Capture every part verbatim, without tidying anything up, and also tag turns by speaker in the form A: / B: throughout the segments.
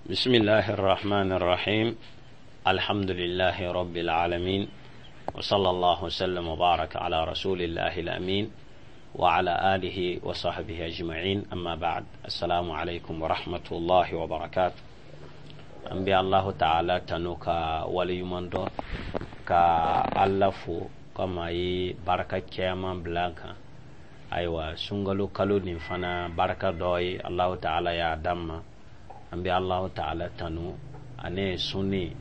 A: بسم الله الرحمن الرحيم. الحمد لله رب العالمين، وصلى الله وسلم وبارك على رسول الله الأمين وعلى آله وصحبه أجمعين. أما بعد، السلام عليكم ورحمة الله وبركاته. An bɛ Allahu Taala tanu ka waleɲuman dɔn ka Ala fo komi a ye barika caman bila an kan. Ayiwa, sunkalo kalo nin fana barika dɔ ye Allahu Taala y'a d'an ma. An bɛ Allahu Taala tanu ani sunni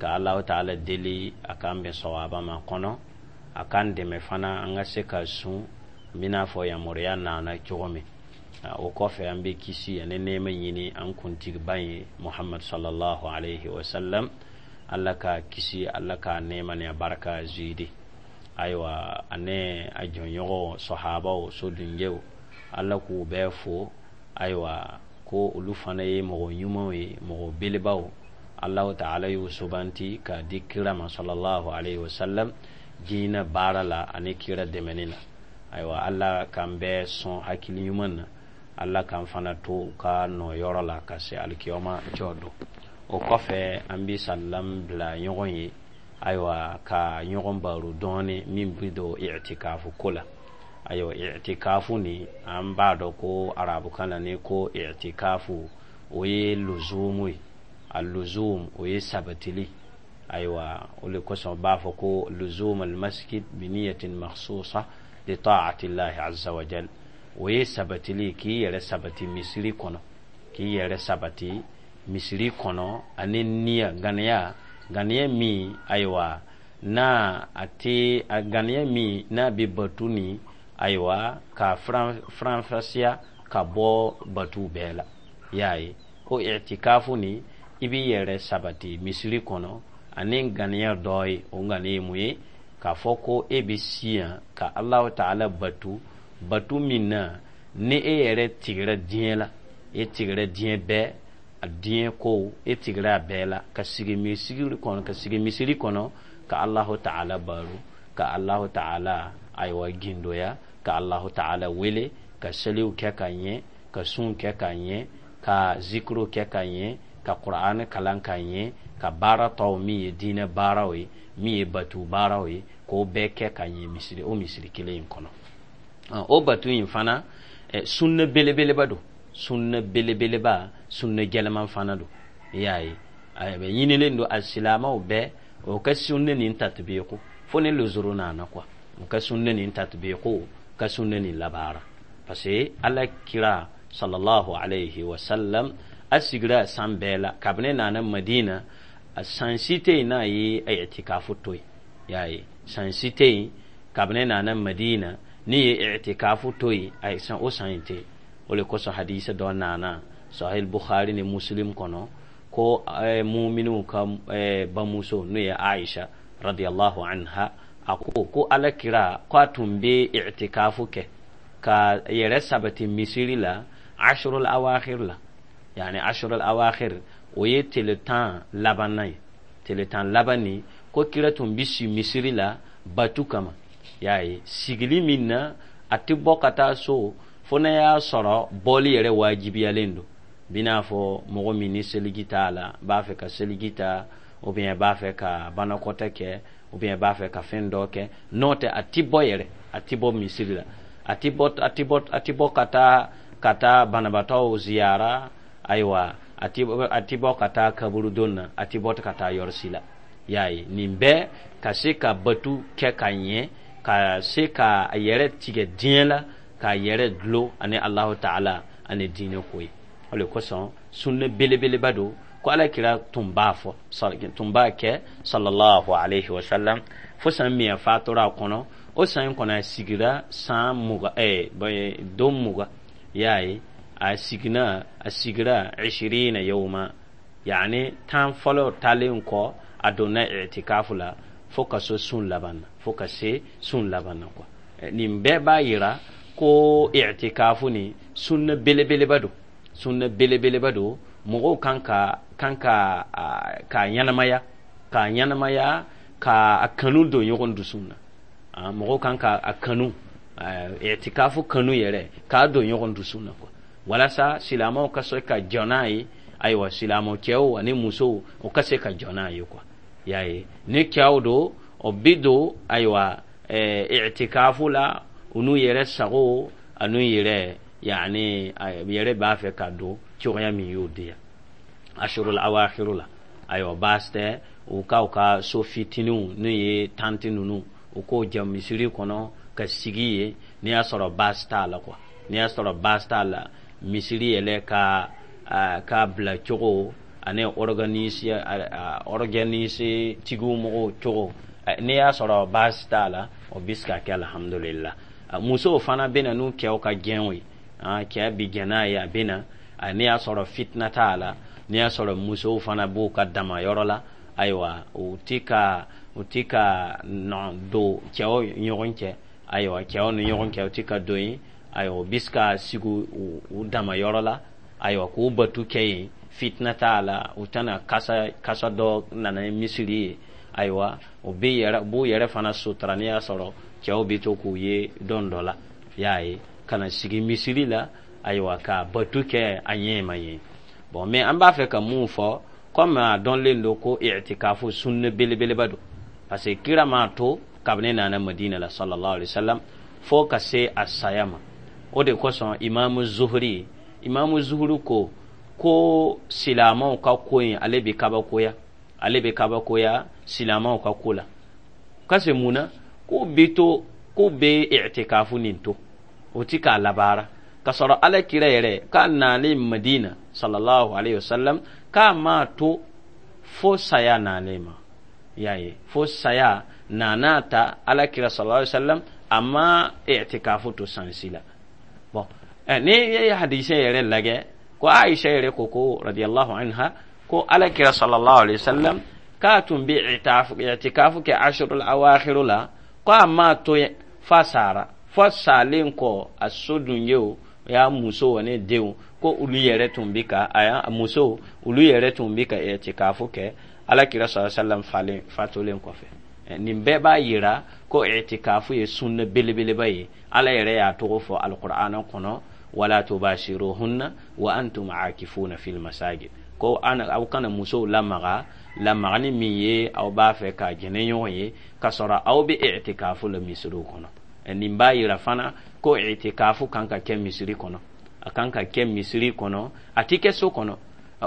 A: ka Allahu Taala deli a k'an bɛn sawaba ma kɔnɔ, a k'an dɛmɛ fana an ka se ka sun n bɛna fɔ yamaruya nana cogo min. O kɔfɛ, an bɛ kisi ani nɛɛma ɲini an kuntigiba ye Muhammad sallallahu alaihi wasallam. Ala ka kisi, Ala ka nɛɛma ni a barika zidi. Ayiwa, ani a jɔnɲɔgɔn sɔhabaw, sodunjɛw, Ala k'u bɛɛ fo. Ayiwa, ko olu fana ye mɔgɔ ɲumanw ye, mɔgɔ belebaw. Allahu Taala y'u subanti k'a di kira ma sallallahu alaihi wasallam diinɛ baara la ani kira dɛmɛni na. Ayiwa, Ala k'an bɛɛ sɔn hakili ɲuman na, Ala k'an fana to ka nɔ yɔrɔ la ka se alikiyama jɔ don. O kɔfɛ, an bɛ salam bila ɲɔgɔn ye. Ayiwa, ka ɲɔgɔn baro dɔɔni min bɛ don i'tikafu ko la. Ayiwa, i'tikafu ni an b'a dɔn ko arabukan na, ni ko i'tikafu, o ye luzumu ye. A luzum, o ye sabatili. Ayiwa, o le kosɔn b'a fɔ ko luzum almasjid biniyatin makhsusa li ta'ati llahi azza wa jal. O ye sabatili, k'i yɛrɛ sabati misiri kɔnɔ, k'i yɛrɛ sabati misiri kɔnɔ ani niya, ganiya, ganiya min, ayiwa, n'a a tɛ a ganiya min n'a bɛ batu ni, ayiwa, ka faranfasiya ka bɔ batu bɛɛ la. I y'a ye ko i'tikafu ni, i b'i yɛrɛ sabati misiri kɔnɔ ani ganiya dɔ ye. O ganiya ye mun ye? K'a fɔ ko e bɛ si yan ka Alahu Taala batu, batu min na ni e yɛrɛ tigɛra diɲɛ la, e tigɛra diɲɛ bɛɛ, a diɲɛ kow, e tigɛra a bɛɛ la ka sigi misiri kɔnɔ, ka sigi misiri kɔnɔ ka Alahu Taala baro, ka Alahu Taala, ayiwa, gindoya, ka Alahu Taala wele, ka seliw kɛ ka ɲɛ, ka sun kɛ ka ɲɛ, ka zikiro kɛ ka ɲɛ, ka Kuranɛ kalan ka ɲɛ, ka baara tɔw min ye diinɛ baaraw ye, min ye batu baaraw ye, k'o bɛɛ kɛ ka ɲɛ misiri, o misiri kelen in kɔnɔ. O batu in fana, sunna belebeleba don, sunna belebeleba, sunna jɛlɛman fana don. I y'a ye, a bɛ ɲinilen don a silamɛw bɛɛ o ka sunna nin tatbiqu fo ni luzuru nana quoi, o ka sunna nin tatbiqu, ka sunna nin labaara, parce que Ala kira sallallahu alayhi wa sallam a sigira san bɛɛ la kabini nana Madina, a san si tɛ yen n'a ye i'tikafu to yen. I y'a ye, san si tɛ yen kabini nana Madina ni ye i'tikafu to yen, a ye san o san in tɛ yen. O le kosɔn hadisa dɔ nana Sahih Bukhari ni Muslim kɔnɔ ko muminiw ka bamuso, n'o ye Aisha radiyallahu anha, a ko ko Ala kira ko a tun bɛ i'tikafu kɛ ka yɛrɛ sabati misiri la ashrul awakhir la. Yani ashrul awakhir, o ye tile tan labanna ye, tile tan laban ni ko kira tun bɛ si misiri la batu kama. Y'a ye, sigili min na a tɛ bɔ ka taa so fo n'a y'a sɔrɔ bɔli yɛrɛ wajibiyalen don, bi n'a fɔ mɔgɔ min ni seliji t'a la, b'a fɛ ka seliji ta, ou bien b'a fɛ ka banakɔtɛ kɛ, ou bien b'a fɛ ka fɛn dɔ kɛ. N'o tɛ, a ti bɔ yɛrɛ, a ti bɔ misiri la, a ti bɔ, a ti bɔ, a ti bɔ ka taa ka taa banabaatɔw ziyara. Ayiwa, a ti a ti bɔ ka taa kaburudon na, a ti bɔ ka taa yɔrɔ si la. Y'a ye, nin bɛɛ ka se ka batu kɛ ka ɲɛ, ka se ka a yɛrɛ tigɛ diɲɛ la, k'a yɛrɛ dulon ani Alahu Taala ani diinɛ ko ye. O le kosɔn sunna belebeleba don ko Ala kira tun b'a fɔ, tun b'a kɛ sallallahu alaihi wa sallam fo san min a fatura a kɔnɔ. O san in kɔnɔ, a sigira san mugan, ɛɛ don mugan. I y'a ye, a siginna, a sigira ishirina yawma, yani tan fɔlɔ talen kɔ, a donna i'tikafu la fo ka se sun laban na, fo ka se sun laban na quoi. Nin bɛɛ b'a yira ko i'tikafu ni sunna belebeleba don, sunna belebeleba don. Mɔgɔw kan ka kan ka k'a ɲɛnamaya, k'a ɲɛnamaya, ka a kanu don ɲɔgɔn dusu na. Mɔgɔw kan ka a kanu, i'tikafu kanu yɛrɛ, k'a don ɲɔgɔn dusu na quoi, walasa silamɛw ka se ka jɔ n'a ye. Ayiwa, silamɛ cɛw ani musow, o ka se ka jɔ n'a ye quoi. Y'a ye, ni cɛw don, o bi don, ayiwa, ɛɛ i'tikafu la, u n'u yɛrɛ sago an'u yɛrɛ, yani yɛrɛ b'a fɛ ka don cogoya min y'o di yan ashurul awakhiru la. Ayiwa, baasi tɛ, u ka u ka so fitininw, n'o ye tanti ninnu, u k'o jɛ misiri kɔnɔ ka sigi yen. N'i y'a sɔrɔ baasi t'a la quoi, n'i y'a sɔrɔ baasi t'a la, misiri yɛrɛ ka ka bila cogo ani organise organise tigiw mɔgɔw cogo, n'i y'a sɔrɔ baasi t'a la, o bɛ se ka kɛ, alhamdulillah. Musow fana bɛ na n'u cɛw ka gɛnw ye, cɛ bi gɛn n'a ye, a bɛ na. N'i y'a sɔrɔ fitina t'a la, n'i y'a sɔrɔ musow fana b'u ka dama yɔrɔ la, ayiwa, u ti ka u ti ka nɔ don cɛw ɲɔgɔn cɛ, ayiwa, cɛw ni ɲɔgɔn cɛ, u ti ka don yen. Ayiwa, u bɛ se ka sigi u dama yɔrɔ la, ayiwa, k'u batu kɛ yen, fitina t'a la, u tɛna kasa kasa dɔ nana ni misiri ye. Ayiwa, u bɛ yɛrɛ b'u yɛrɛ fana sutura. N'i y'a sɔrɔ cɛw bɛ to k'u ye don dɔ la, y'a ye, ka na sigi misiri la, ayiwa, ka batu kɛ a ɲɛ ma ye. Bon, mais an b'a fɛ ka mun fɔ? Komi a dɔnlen don ko i'tikafu sunne belebeleba don, parce que kira m'a to kabini nana Madina la, sallallahu alaihi wasallam, fo ka se a saya ma. O de kosɔn Imamu Zuhuri Imamu Zuhuri ko ko silamɛw ka ko in, ale bɛ kabakoya, ale bɛ kabakoya silamɛw ka ko la. Ka se mun na k'u bɛ to k'u bɛ i'tikafu nin to, o ti k'a labaara, ka sɔrɔ Ala kira yɛrɛ k'a nalen Madina, sallallahu alaihi wasallam, k'a m'a to fo saya nalen ma. Y'a ye, fo saya nana ta, Ala kira sallallahu alaihi wasallam a ma i'tikafu to san si la. Bon, eh, ni ye hadise yɛrɛ lajɛ, ko Aisha yɛrɛ ko ko radiyallahu anha, ko Ala kira sallallahu alaihi wasallam k'a tun bɛ i'tikafu kɛ ashurul awakhiru la, ko a m'a to fa sara, fo salen kɔ, a so dungew y'a muso ani denw, ko olu yɛrɛ tun bɛ ka a y'a muso, olu yɛrɛ tun bɛ ka i'tikafu kɛ Ala kira sallallahu alaihi wasallam falen fatulen kɔfɛ. Nin bɛɛ b'a yira ko i'tikafu ye sunna belebeleba ye. Ala yɛrɛ y'a tɔgɔ fɔ alqur'ana kɔnɔ: wala tubashiruhunna wa antum aakifuna fil masajid. Ko aw kana musow lamaga, lamagani min ye aw b'a fɛ ka jɛnɛ ɲɔgɔn ye, ka sɔrɔ aw bɛ i'tikafu la misiriw kɔnɔ. Nin b'a yira fana ko i'tikafu kan ka kɛ misiri kɔnɔ, a kan ka kɛ misiri kɔnɔ, a ti kɛ so kɔnɔ.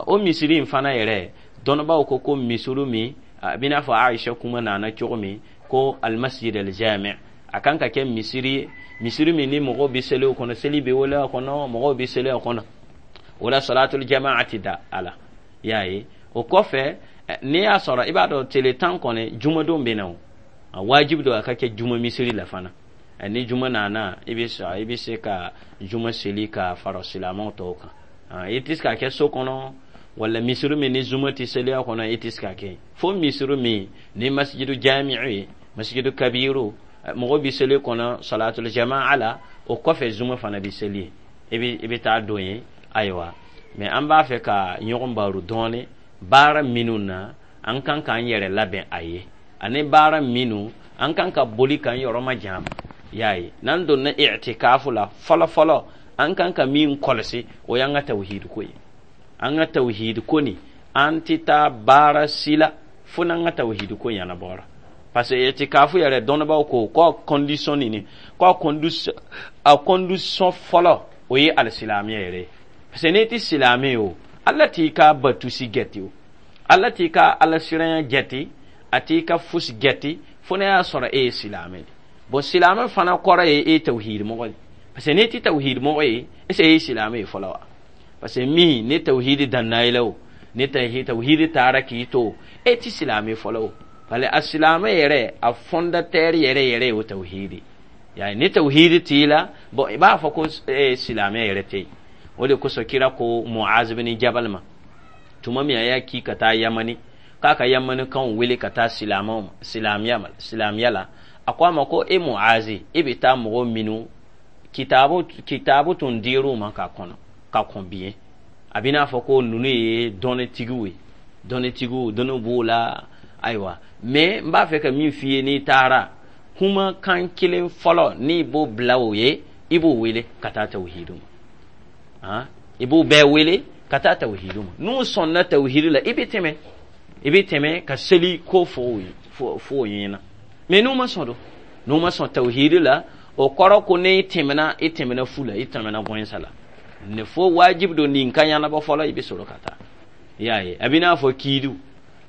A: O misiri in fana yɛrɛ, dɔnnibaaw ko ko misiri min a bɛ n'a fɔ Aisha kuma nana cogo min, ko almasjid aljami, a kan ka kɛ misiri, misiri min ni mɔgɔw bɛ seli o kɔnɔ, seli bɛ wele a kɔnɔ, mɔgɔw bɛ seli a kɔnɔ. O la salatul jama'a ti da a la. Y'a ye, o kɔfɛ, n'i y'a sɔrɔ i b'a dɔn tele tan kɔni, jumadon bɛ na, o a wajibi don a ka kɛ juma misiri la fana. Ni juma nana, i bɛ i bɛ se ka juma seli ka fara silamɛw tɔw kan. I tɛ se ka kɛ so kɔnɔ wala misiri min ni juma tɛ seli a kɔnɔ, i tɛ se ka kɛ fo misiri min ni masjidu jami'u ye, masjidu kabiru, mɔgɔ bɛ seli kɔnɔ salatul jama'a la, o kɔfɛ juma fana bɛ seli, i bɛ i bɛ taa don yen. Ayiwa, mais an b'a fɛ ka ɲɔgɔn baro dɔɔni baara minnu na an kan k'an yɛrɛ labɛn a ye, ani baara minnu an kan ka boli k'an yɔrɔ ma jan. Y'a ye, n'an donna i'tikafu la, fɔlɔ fɔlɔ, an kan ka min kɔlɔsi, o y'an ka tawhid ko ye. An ka tawhid ko nin, an tɛ taa baara si la fo n'an ka tawhid ko ɲɛnabɔra, parce que i'tikafu yɛrɛ, dɔnnibaaw ko ko condition nin, ko a condition a condition fɔlɔ, o ye alisilamɛya yɛrɛ ye, parce que n'i tɛ silamɛ ye, o Ala t'i ka batusi jate, o Ala t'i ka alasiranya jate, a t'i ka fosi jate fo n'a y'a sɔrɔ e ye silamɛ de. Bon, silamɛ fana kɔrɔ ye e ye tawhid mɔgɔ ye, parce que n'i tɛ tawhid mɔgɔ ye, est ce que e ye silamɛ ye fɔlɔ wa? Parce que min ni tawhid danna i la, o ni tawhid taara k'i to, e tɛ silamɛ fɔlɔ. O parce que a silamɛ yɛrɛ, a fondateur yɛrɛ yɛrɛ ye o tawhid. Yani ni tawhid t'i la, bon, i b'a fɔ ko e silamɛ yɛrɛ tɛ yen. O de kosɔn kira ko Muaz bin Jabal ma tuma min a y'a k'i ka taa Yamani, k'a ka Yamanikanw wele ka taa silamɛw ma, silamɛya ma, silamɛya la, a ko a ma ko: e Muazi, e bɛ taa mɔgɔ minnu kitabu kitabu tun dir'u ma ka kɔnɔ ka kɔn bi, a bɛ n'a fɔ ko ninnu ye dɔnnitigiw ye, dɔnnitigiw, dɔnni b'u la. Ayiwa, mais n b'a fɛ ka min f'i ye, n'i taara, kumakan kelen fɔlɔ n'i b'o bila o ye, i b'o wele ka taa tawhidu ma. Han, i b'o bɛɛ wele Ka taa tawhidu ma. N'u sɔnna tawhidu la, i bɛ tɛmɛ i bɛ tɛmɛ ka seli ko fɔ fɔ o ɲɛna. Mais n'u ma sɔn don, n'u ma sɔn tawhidu la, o kɔrɔ ko ne tɛmɛna, i tɛmɛna fu la, i tɛmɛna gɔnsa la. Ne fo wajibi don nin ka ɲɛnabɔ fɔlɔ, i bɛ sɔrɔ ka taa. I y'a ye, a bɛ n'a fɔ kiidiw,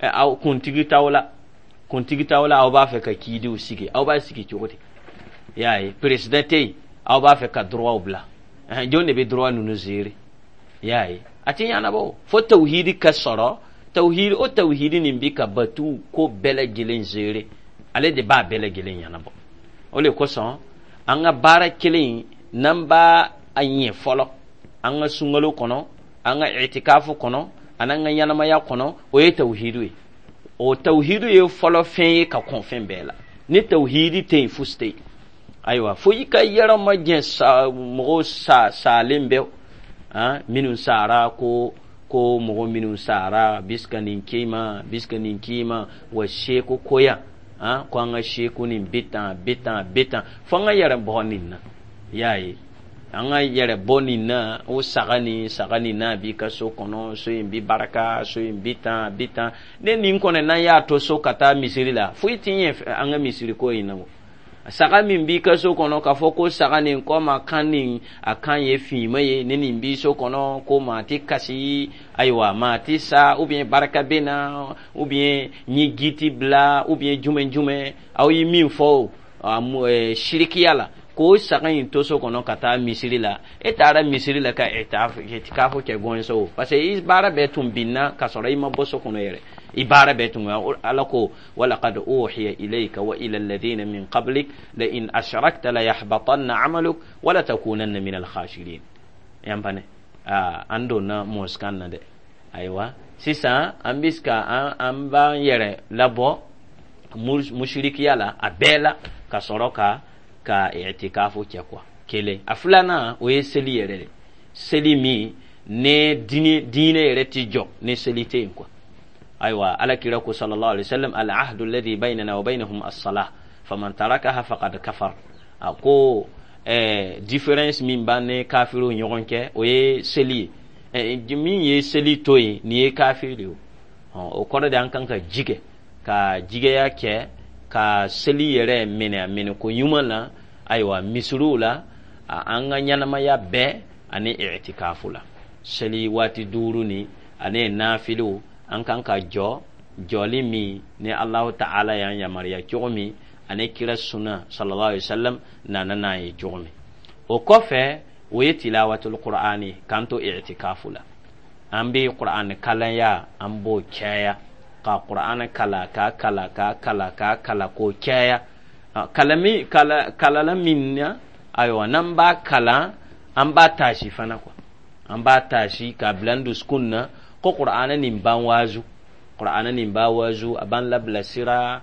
A: aw kuntigi t'aw la, kuntigi t'aw la, aw b'a fɛ ka kiidiw sigi, aw b'a sigi cogo di? I y'a ye, président tɛ yen, aw b'a fɛ ka droit bila, jɔn de bɛ droit ninnu gérer? I y'a ye, a tɛ ɲɛnabɔ fo tawhidi ka sɔrɔ. Tawhidi, o tawhidi nin bi ka batu ko bɛɛ lajɛlen gérer, ale de b'a bɛɛ lajɛlen ɲɛnabɔ. O de kosɔn an ka baara kelen n'an b'a a ɲɛ fɔlɔ an ka sunkalo kɔnɔ, an ka itikafu kɔnɔ, ani an ka ɲɛnamaya kɔnɔ, o ye tawhidu ye. O tawhidu ye fɔlɔ fɛn ye ka kɔn fɛn bɛɛ la. Ni tawhidi tɛ yen, fosi tɛ yen. Ayiwa, fo i ka yɔrɔ ma jɛ sa mɔgɔw sa salen bɛ han minnu sara, ko ko mɔgɔ minnu sara bisika nin k'i ma, bisika nin k'i ma, wa seko koya han, ko an ka seko nin bɛ tan, bɛ tan, bɛ tan, fo an ka yɛrɛ bɔ nin na. I y'a ye, an ka yɛrɛ bɔ nin na. O saga nin, saga nin n'a b'i ka so kɔnɔ, so in bi baraka, so in bi tan, bi tan. Ne nin kɔni, n'an y'a to so ka taa misiri la, foyi ti ɲɛ an ka misiri ko in na. O saga min b'i ka so kɔnɔ, k'a fɔ ko saga nin komi a kan nin, a kan ye finma ye, ni nin b'i so kɔnɔ, ko maa ti kasi, ayiwa, maa ti sa, ou bien baraka bɛ na, ou bien n ye giti bila, ou bien jumɛn jumɛn, aw ye min fɔ sirikiya la, k'o saga in to so kɔnɔ ka taa misiri la, e taara misiri la ka itikafu kɛ gɔnso o, parce que i baara bɛɛ tun binna ka sɔrɔ i ma bɔ so kɔnɔ yɛrɛ. I baara bɛɛ tun. Ala ko: walaqad uhiya ilayka wa ila alladhina min qablik la in ashrakta la yahbatanna amaluk wa la takunanna min alkhashirin. Yan pane an donna moskan na dɛ. Ayiwa, sisan an bɛ ka an an b'an yɛrɛ labɔ mushirikiya la a bɛɛ la, ka sɔrɔ ka ka i'tikafu kɛ quoi. Kelen. A filanan, o ye seli yɛrɛ de. Seli min ne diinɛ diinɛ yɛrɛ ti jɔ ni seli tɛ yen quoi. Ayiwa, Ala kira ko sallallahu alaihi wasallam: al ahdu alladhi baynana wa baynahum as-salah, faman tarakaha faqad kafar. A ko eh, différence min b'an ni kafiriw ɲɔgɔn cɛ, o ye seli ye. eh, min ye seli to yen, nin ye kafiri de ye. O kɔrɔ de, an kan ka jigɛ ka jigɛya kɛ ka seli yɛrɛ minɛ a minɛ ko ɲuman na. Ayiwa, misiriw la, an ka ɲɛnamaya bɛɛ ani i'tikafu la, seli waati duuru ni ani nafiliw, an kan ka jɔ jɔli min ni Alahu Ta'ala y'an yamaruya cogo min, ani kira sunna sallallahu alaihi wasallam nana n'a ye cogo min. O kɔfɛ, o ye tilawatul qur'ani. K'an to i'tikafu la, an bɛ qur'ani kalanya, an b'o caya ka qur'ani kala, k'a kala, k'a kala, k'a kala k'o caya. Kalami kala kalala min na, ayiwa, n'an b'a kalan, an b'a taasi fana quoi. An b'a taasi k'a bila an dusukun na ko qur'ana nin b'an waazu, qur'ana nin b'a waazu, a b'an labilasira.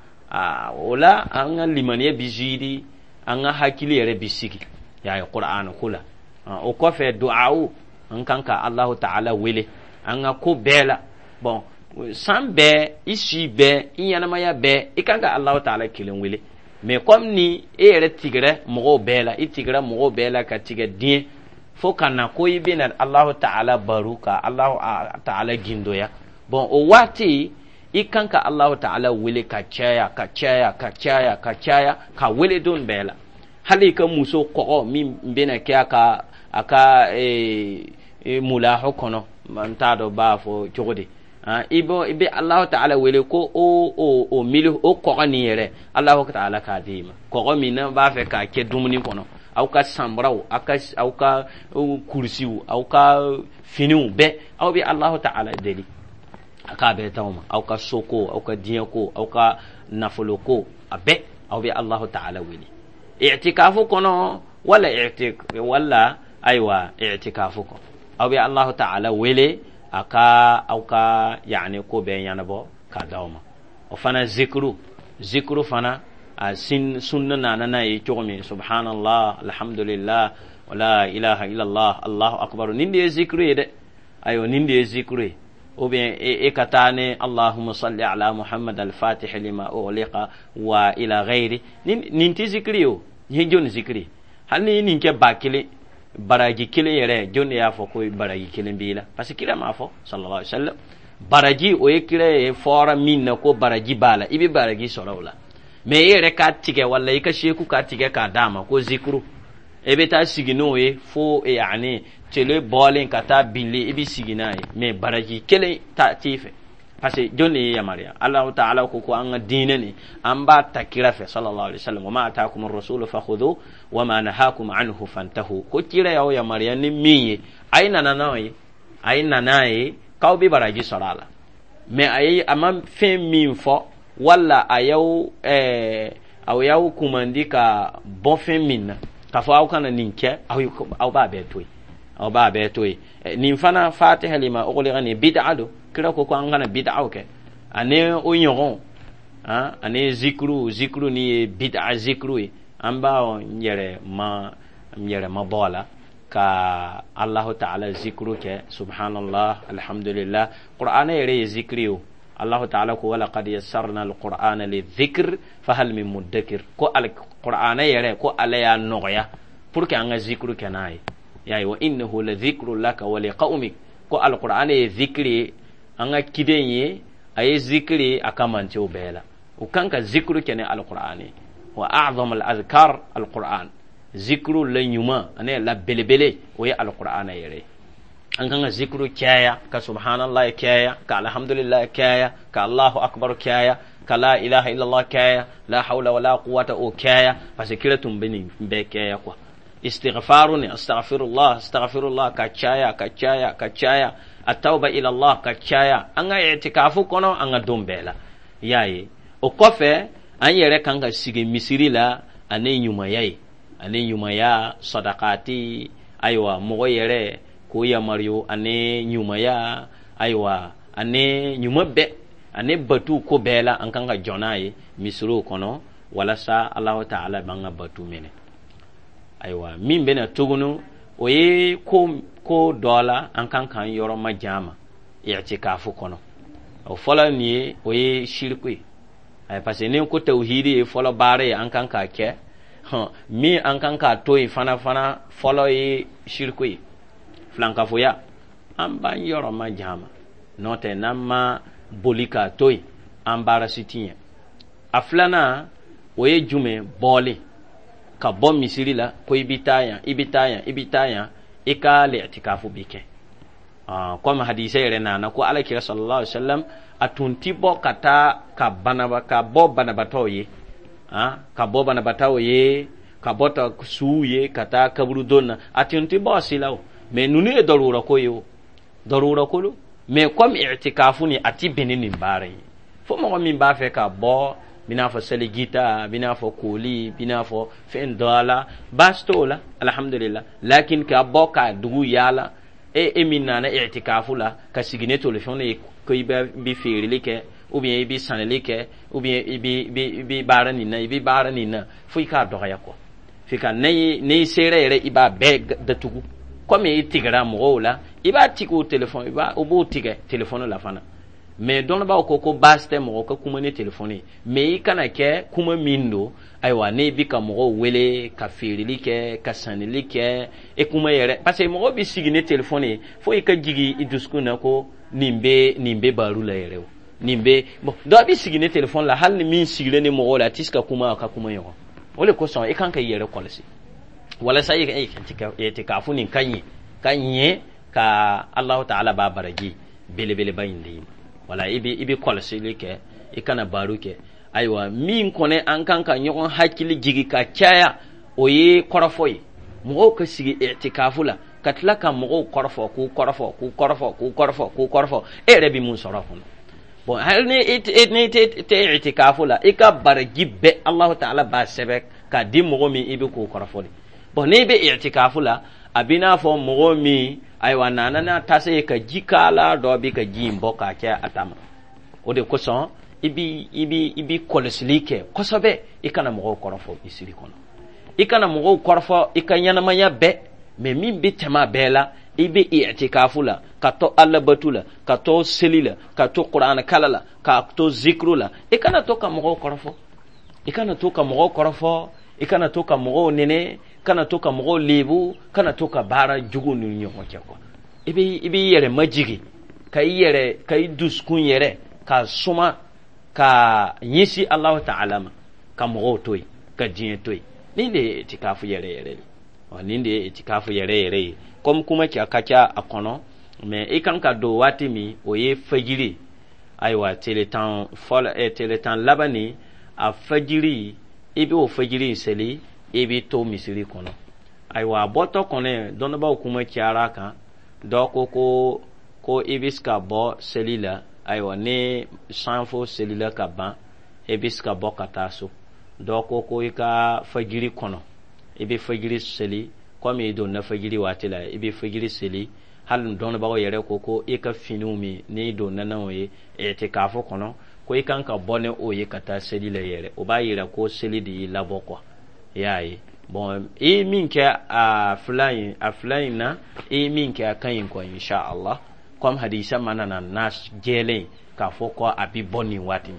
A: O la an ka limaniya bi zidi, an ka hakili yɛrɛ bi sigi y'a ye qur'ana ko la. O kɔfɛ, du'awu, an kan ka Alahu Ta'ala wele an ka ko bɛɛ la. Bon, san bɛɛ, i si bɛɛ, i ɲɛnamaya bɛɛ, i kan ka Alahu Ta'ala kelen wele. Mais comme ni e yɛrɛ tigɛra mɔgɔw bɛɛ la, i tigɛra mɔgɔw bɛɛ la ka tigɛ diɲɛ fo ka na ko i bɛna Alahu Ta'ala baro ka Alahu Ta'ala gindoya. Bon, o waati i kan ka Alahu Ta'ala wele ka caya, ka caya, ka caya, ka caya, ka wele don bɛɛ la. Hali i ka muso kɔgɔ min bɛna kɛ a ka a ka mulahu kɔnɔ, n t'a dɔn b'a fɔ cogo di, i bɛ i bɛ Alahu Ta'ala wele ko o o o mili o kɔgɔ nin yɛrɛ, Alahu Ta'ala k'a d'i ma. Kɔgɔ min n'an b'a fɛ k'a kɛ dumuni kɔnɔ, aw ka sanbaraw, aw ka aw ka kurusiw, aw ka finiw bɛɛ, aw bɛ Alahu Ta'ala deli a k'a bɛɛ t'aw ma. Aw ka soko, aw ka diɲɛko, aw ka nafoloko, a bɛɛ, aw bɛ Alahu Ta'ala wele i'tikafu kɔnɔ wala i'tik wala ayiwa, i'tikafu kɔnɔ, aw bɛ Alahu Ta'ala wele a ka aw ka yaani ko bɛɛ ɲɛnabɔ k'a d'aw ma. O fana zikiru zikiru fana, a sin sunna nana n'a ye cogo min: subhanallah, alhamdulillah, wala ilaha illallah, Allahu akbar. Nin de ye zikiru ye dɛ. Ayiwa, nin de ye zikiru ye. Ou bien e ka taa ni allahumma salli ala Muhammad al-fatih lima ughliqa wa ila ghairi. Nin nin tɛ zikiri ye. O nin ye jɔni zikiri? Hali ni nin kɛ ba kelen. Baraji kelen yɛrɛ, jɔn de y'a fɔ ko baraji kelen b'i la? Parce que kira m'a fɔ, sallallahu alaihi wasallam. Baraji, o ye kira ye fɔra min na ko baraji b'a la, i bɛ baraji sɔrɔ o la. Mais e yɛrɛ k'a tigɛ, wala i ka seku k'a tigɛ k'a d'a ma ko zikuru, e bɛ taa sigi n'o ye fo yani tele bɔlen ka taa binlen, i bɛ sigi n'a ye, mais baraji kelen ta t'i fɛ. Parce que jɔn de ye yamaruya? Alahu taala ko ko an ka diinɛ nin, an b'a ta kira fɛ, sallallahu alaihi wasallam. Wa ma atakum rasulu fakhudhu wa ma nahakum anhu fantahu. Ko kira y'aw yamaruya ni min ye, a ye nana n'o ye, a ye na n'a ye k'aw bɛ baraji sɔrɔ a la. Mais a ye a ma fɛn min fɔ, wala a y'aw ɛɛ aw y'aw kumandi ka bɔ fɛn min na, k'a fɔ aw kana nin kɛ, aw aw b'a bɛɛ to yen, aw b'a bɛɛ to yen. Nin fana, fatiha lima ughliqa nin, bid'a don. Kira ko ko an kana bid'aw kɛ, ani o ɲɔgɔn, ani zikuru zikuru ni ye bid'a zikuru ye. An b'a yɛrɛ ma yɛrɛ ma bɔ a la ka Allahu ta'ala zikuru kɛ, subhanallah, alhamdulillah. Qur'ana yɛrɛ ye zikiri ye o. Allahu ta'ala ko: wa laqad yassarna alqur'ana lidhikr fahal min muddakir. Ko alqur'ana yɛrɛ, ko Ala y'a nɔgɔya pour que an ka zikuru kɛ n'a ye. Y'a ye, wa innahu la dhikru laka wa liqaumik. Ko alqur'ana ye zikiri ye, an ka kiden ye, a ye zikiri ye a ka mantew bɛɛ la. U kan ka zikuru kɛ ni alqur'ani. Wa a'zam al-azkar alqur'an. Zikuru la ɲuman ani la belebele, o ye alqur'ana yɛrɛ. An kan ka zikuru caya, ka subhanallah caya, ka alhamdulillah caya, ka Allahu akbar caya, ka la ilaha illallah caya, la hawla wala quwwata o caya, parce que kira tun bɛ nin bɛɛ caya quoi. Istighfaru ni astaghfirullah, astaghfirullah, ka caya, ka caya, ka caya. Atawba ila Allah, ka caya an ka i'tikafu kɔnɔ, an ka don bɛɛ la. I y'a ye, o kɔfɛ, an yɛrɛ kan ka sigi misiri la ani ɲumanya ye, ani ɲumanya, sadakati. Ayiwa, mɔgɔ yɛrɛ k'o yamaruyo ani ɲumanya, ayiwa, ani ɲuman bɛɛ ani batu ko bɛɛ la, an kan ka jɔ n'a ye misiriw kɔnɔ, walasa Alahu taala b'an ka batu minɛ. Ayiwa, min bɛna tuguni, o ye ko ko dɔ la an kan k'an yɔrɔ ma jan ma i'tikafu kɔnɔ. O fɔlɔ nin ye, o ye siriku ye. Parce que ni ko tawhidi ye fɔlɔ baara ye an kan k'a kɛ, min an kan k'a to yen fana fana fɔlɔ ye siriku ye, filankafoya. An b'an yɔrɔ ma jan ma, n'o tɛ n'an ma boli k'a to yen, an baara si ti ɲɛ. A filanan, o ye jumɛn? Bɔlen ka bɔ misiri la ko i bɛ taa yan, i bɛ taa yan, i bɛ taa yan, i ka lɛtikafu bi kɛ. Komi hadisa yɛrɛ nana ko Ala kira sallallahu alaihi wasallam, a tun ti bɔ ka taa ka banaba ka bɔ banabatɔw ye, ka bɔ banabatɔw ye, ka bɔ ta suw ye, ka taa kaburudon na, a tun ti bɔ a si la o. Mais ninnu ye darura ko ye o, darura ko lo. Mais comme i'tikafu ni a ti bɛn ni nin baara ye, fo mɔgɔ min b'a fɛ ka bɔ, bi n'a fɔ selijita, bi n'a fɔ koli, bi n'a fɔ fɛn dɔ la, baasi t'o la, alhamdulillah. Lakin ka bɔ ka dugu yaala, e e min nana i'tikafu la ka sigi ne telefɔni ye ko i bɛ bi feereli kɛ, ou bien i bɛ sanili kɛ, ou bien i bɛ i bɛ baara nin na, i bɛ baara nin na, fo i k'a dɔgɔya quoi. F'i ka n'i n'i sera yɛrɛ, i b'a bɛɛ datugu. Komi i tigɛra mɔgɔw la, i b'a tigɛ o telefɔni, i b'a o b'o tigɛ telefɔni la fana. Mais dɔnnibaaw ko ko baasi tɛ mɔgɔ ka kuma ni telefɔni ye, mais i kana kɛ kuma min don, ayiwa, ne bi ka mɔgɔw wele ka feereli kɛ, ka sanili kɛ, e kuma yɛrɛ. Parce que mɔgɔ bi sigi ni telefɔni ye fo i ka jigin i dusukun na ko nin bɛ nin bɛ baro la yɛrɛ o, nin bɛ bon. Dɔ bi sigi ni telefɔni la, hali ni min sigilen ni mɔgɔw la, a tɛ se ka kuma a ka kuma ɲɔgɔn. O de kosɔn i kan ka i yɛrɛ kɔlɔsi walasa i ka itikafu nin ka ɲɛ, ka ɲɛ, ka Alahu taala b'a baraji belebeleba in d'i ma. Wala i bɛ i bɛ kɔlɔsili kɛ, i kana baro kɛ. Ayiwa, min kɔni an kan ka ɲɔgɔn hakili jigi ka caya, o ye kɔrɔfɔ ye. Mɔgɔw ka sigi itikafu la ka tila ka mɔgɔw kɔrɔfɔ, k'u kɔrɔfɔ, k'u kɔrɔfɔ, k'u kɔrɔfɔ, k'u kɔrɔfɔ, e yɛrɛ bɛ mun sɔrɔ a kɔnɔ? Bon, hali ni n'i tɛ itikafu la, i ka baraji bɛɛ, Alahu taala b'a sɛbɛn k'a di mɔgɔ min i bɛ k'o kɔrɔfɔ de. Bon, n'i bɛ itikafu la, a b'i n'a fɔ mɔgɔ min, ayiwa, nana n'a tase ye ka ji k'a la, dɔ bɛ ka ji in bɔ k'a kɛ a ta ma. O de kosɔn i bi i bi i bi kɔlɔsili kɛ kosɛbɛ. I kana mɔgɔw kɔrɔfɔ misiri kɔnɔ, i kana mɔgɔw kɔrɔfɔ i ka ɲɛnamaya bɛɛ. Mais min bɛ tɛmɛ a bɛɛ la, i bɛ i'tikafu la ka to alabatu la, ka to seli la, ka to kuranɛ kala la, ka to zikuru la, i kana to ka mɔgɔw kɔrɔfɔ, i kana to ka mɔgɔw kɔrɔfɔ, i kana to ka mɔgɔw nɛnɛ. Kana to ka mɔgɔw lebu, kana to ka baara jugu ni ɲɔgɔn cɛ quoi. I bɛ i b'i yɛrɛ majigi, ka i yɛrɛ, ka i dusukun yɛrɛ ka suma ka ɲɛsin Alahu Taala ma, ka mɔgɔw to yen, ka diɲɛ to yen. Nin de ye itikafu yɛrɛ yɛrɛ ye. Ɔ, nin de ye itikafu yɛrɛ yɛrɛ ye. Comme kuma ca ka ca a kɔnɔ, mais i kan ka don waati min, o ye fajiri. Ayiwa, tele tan fɔlɔ, ɛ, tele tan laban nin, a fajiri, i bɛ o fajiri in seli, i bɛ to misiri kɔnɔ. Ayiwa, a bɔtɔ kɔnɔ, dɔnnibaaw kuma cayara a kan. Dɔ ko ko ko i bɛ se ka bɔ seli la. Ayiwa, ni sanfo selila ka ban, i bɛ se ka bɔ ka taa so. Dɔ ko ko i ka fajiri kɔnɔ, i bɛ fajiri seli. Komi i donna fajiri waati la, i bɛ fajiri seli. Hali dɔnnibagaw yɛrɛ ko ko i ka finiw min n'i donna n'o ye i'tikafo kɔnɔ, ko i kan ka bɔ ni o ye ka taa seli la yɛrɛ. O b'a yira ko seli de y'i labɔ quoi. I y'a ye? Bon, i ye min kɛ a fila in a fila in na, i ye min kɛ, a ka ɲi quoi, inshallah. Comme hadisa mana na na jɛlen k'a fɔ ko a bɛ bɔ nin waati,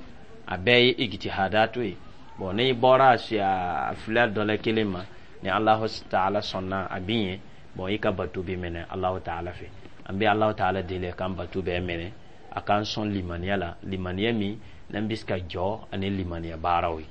A: a bɛɛ ye ijtihadatu ye. Bon, n'i bɔra a fila dɔ la kelen ma, ni Alahu Taala sɔnna, a bɛ ɲɛ. Bon, i ka bato bɛ minɛ Alahu Taala fɛ. An bɛ Alahu Taala deli k'an bato bɛɛ minɛ, a k'an sɔn limaniya la, limaniya min n'an bɛ se ka jɔ ani limaniya baaraw ye.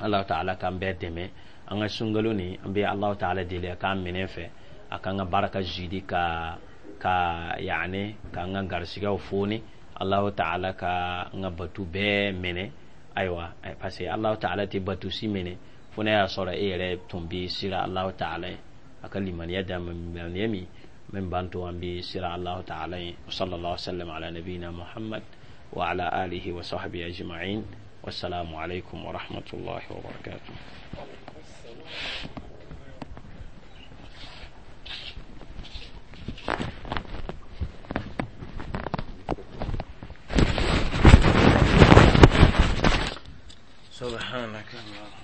A: Alahu Taala k'an bɛɛ dɛmɛ an ka sunkalo nin. An bɛ Alahu Taala deli a k'an minɛ fɛ, a k'an ka baraka zidi, ka ka yaani k'an ka garisigɛw foni. Alahu Taala ka an ka batu bɛɛ minɛ. Ayiwa, parce que Alahu Taala tɛ batu si minɛ fo n'a y'a sɔrɔ e yɛrɛ tun bɛ sira Alahu Taala ye. A ka limaniya d'an ma, limaniya min min b'an to an bɛ sira Alahu Taala ye. Sallallahu sallam ala nabiyina Muhammad wa ala alihi wa sahbihi ajma'in. Wassalamu alaikum wa rahmatullahi wa barakatuh. سبحانك اللهم.